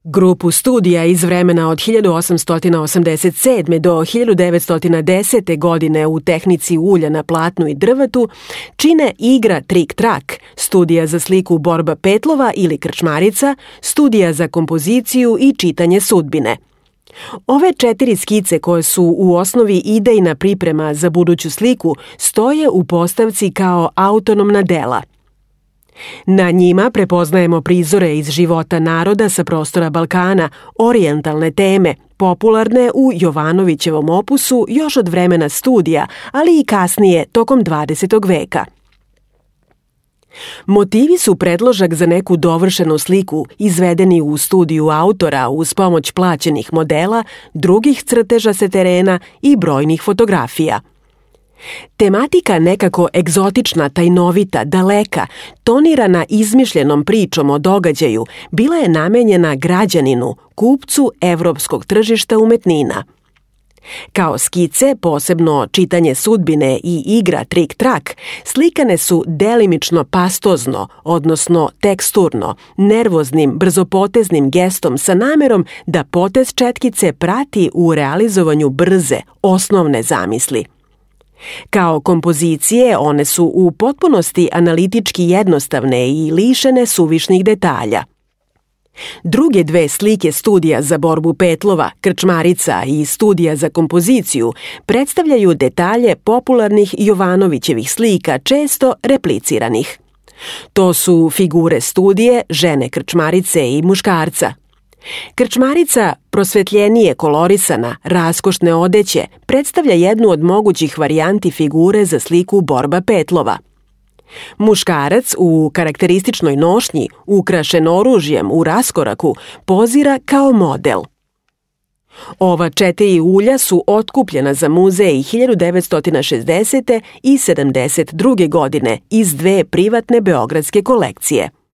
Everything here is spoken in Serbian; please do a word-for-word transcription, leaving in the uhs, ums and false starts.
Grupu studija iz vremena od hiljadu osamsto osamdeset sedme. do hiljadu devetsto desete. godine u tehnici ulja na platnu i drvetu čine igra Trik-trak, studija za sliku Borba Petlova ili Krčmarica, studija za kompoziciju i čitanje sudbine. Ove četiri skice koje su u osnovi idejna priprema za buduću sliku stoje u postavci kao autonomna dela. Na njima prepoznajemo prizore iz života naroda sa prostora Balkana, orijentalne teme, popularne u Jovanovićevom opusu još od vremena studija, ali i kasnije tokom dvadesetog veka. Motivi su predložak za neku dovršenu sliku izvedeni u studiju autora uz pomoć plaćenih modela, drugih crteža sa terena i brojnih fotografija. Tematika nekako egzotična, tajnovita, daleka, tonirana izmišljenom pričom o događaju, bila je namenjena građaninu, kupcu evropskog tržišta umetnina. Kao skice, posebno čitanje sudbine i igra Trik-trak, slikane su delimično pastozno, odnosno teksturno, nervoznim, brzopoteznim gestom sa namerom da potez četkice prati u realizovanju brze, osnovne zamisli. Kao kompozicije, one su u potpunosti analitički jednostavne i lišene suvišnih detalja. Druge dve slike studija za Borbu Petlova, Krčmarica i studija za kompoziciju predstavljaju detalje popularnih Jovanovićevih slika, često repliciranih. To su figure studije, žene Krčmarice i muškarca. Krčmarica, prosvetljenije kolorisana, raskošne odeće, predstavlja jednu od mogućih varijanti figure za sliku Borba Petlova. Muškarac u karakterističnoj nošnji, ukrašen oružjem u raskoraku, pozira kao model. Ova četiri ulja su otkupljena za muzej hiljadu devetsto šezdesete. i sedamdeset druge. godine iz dve privatne beogradske kolekcije.